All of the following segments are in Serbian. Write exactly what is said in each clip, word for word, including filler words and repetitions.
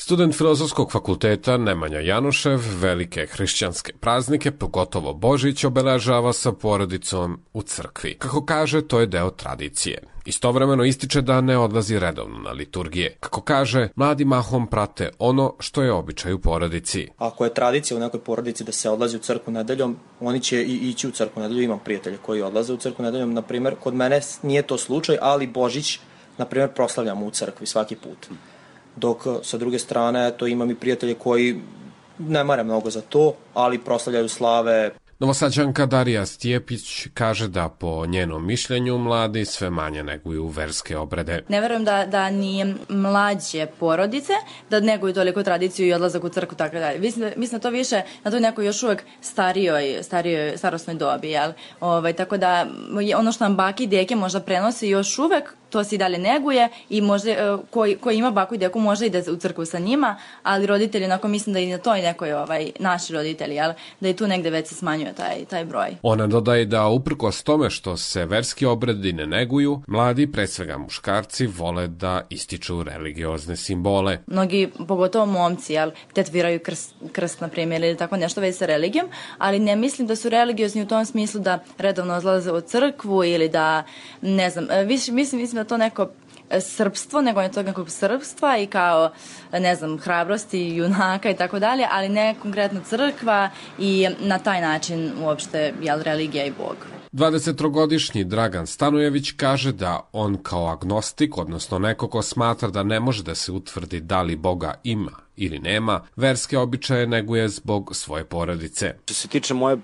Student Filozofskog fakulteta Nemanja Janušev velike hrišćanske praznike, pogotovo Božić, obeležava sa porodicom u crkvi. Kako kaže, to je deo tradicije. Istovremeno ističe da ne odlazi redovno na liturgije. Kako kaže, mladi mahom prate ono što je običaj u porodici. Ako je tradicija u nekoj porodici da se odlazi u crkvu nedeljom, oni će i ići u crkvu nedeljom. Imam prijatelje koji odlaze u crkvu nedeljom, na primjer, kod mene nije to slučaj, ali Božić, na primjer, proslavljamo u crkvi svaki put. Dok sa druge strane, to imam i prijatelje koji ne mare mnogo za to, ali proslavljaju slave. Novosađanka Darija Stjepić kaže da po njenom mišljenju mladi sve manje neguju verske obrede. Ne verujem da, da ni mlađe porodice da neguju toliko tradiciju i odlazak u crkvu, tako dalje. Mislim, mislim da to više na toj nekoj još uvek starijoj, starijoj starosnoj dobi, jel? Ovaj, tako da ono što nam baki i deke možda prenosi još uvek, to se i dalje neguje i možda, koji, koji ima baku i deku možda ide u crkvu sa njima, ali roditelji, onako mislim da i na toj nekoj, ovaj, naši roditelji, jel? Da i tu negde već se smanjuje taj, taj broj. Ona dodaje da uprkos tome što se verski obredi ne neguju, mladi, pre svega muškarci, vole da ističu religiozne simbole. Mnogi, pogotovo momci, jel, tetviraju krst, krst na primjer, ili tako nešto već sa religijom, ali ne mislim da su religiozni u tom smislu da redovno odlaze u crkvu ili da, ne znam, više, mislim, mislim da to neko srpstvo, nego je to nekog srpstva i kao, ne znam, hrabrosti, junaka i tako dalje, ali ne konkretno crkva i na taj način uopšte, jel, religija i Bog. dvadesettrogodišnji Dragan Stanojević kaže da on kao agnostik, odnosno neko ko smatra da ne može da se utvrdi da li Boga ima ili nema, verske običaje neguje zbog svoje porodice. Što se tiče moje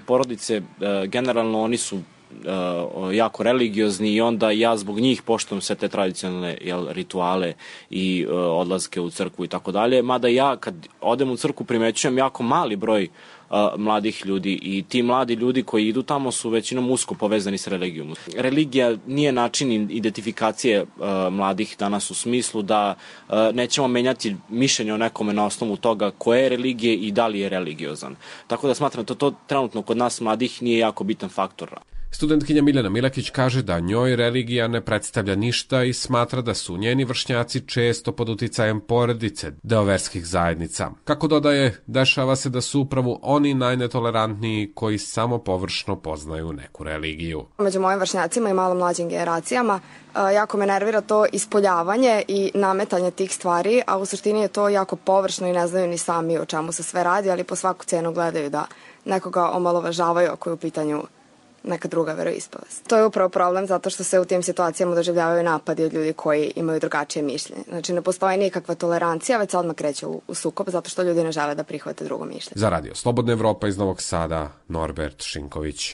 porodice, generalno oni su Uh, jako religiozni i onda ja zbog njih poštujem sve te tradicionalne, jel, rituale i uh, odlaske u crkvu i tako dalje, mada ja kad odem u crkvu primećujem jako mali broj uh, mladih ljudi i ti mladi ljudi koji idu tamo su većinom usko povezani s religijom. Religija nije način identifikacije uh, mladih danas u smislu da uh, nećemo menjati mišljenje o nekome na osnovu toga koje je religije i da li je religiozan. Tako da smatram da to trenutno kod nas mladih nije jako bitan faktor. Studentkinja Miljana Milakić kaže da njoj religija ne predstavlja ništa i smatra da su njeni vršnjaci često pod uticajem porodice, deo verskih zajednica. Kako dodaje, dešava se da su upravo oni najnetolerantniji koji samo površno poznaju neku religiju. Među mojim vršnjacima i malo mlađim generacijama jako me nervira to ispoljavanje i nametanje tih stvari, a u suštini je to jako površno i ne znaju ni sami o čemu se sve radi, ali po svaku cenu gledaju da nekoga omalovažavaju ako je u pitanju neka druga veroispovest. To je upravo problem zato što se u tim situacijama doživljavaju napadi od ljudi koji imaju drugačije mišljenje. Znači ne postoji nikakva tolerancija, već se odmah kreće u, u sukob zato što ljudi ne žele da prihvate drugo mišljenje. Za Radio Slobodna Evropa iz Novog Sada, Norbert Šinković.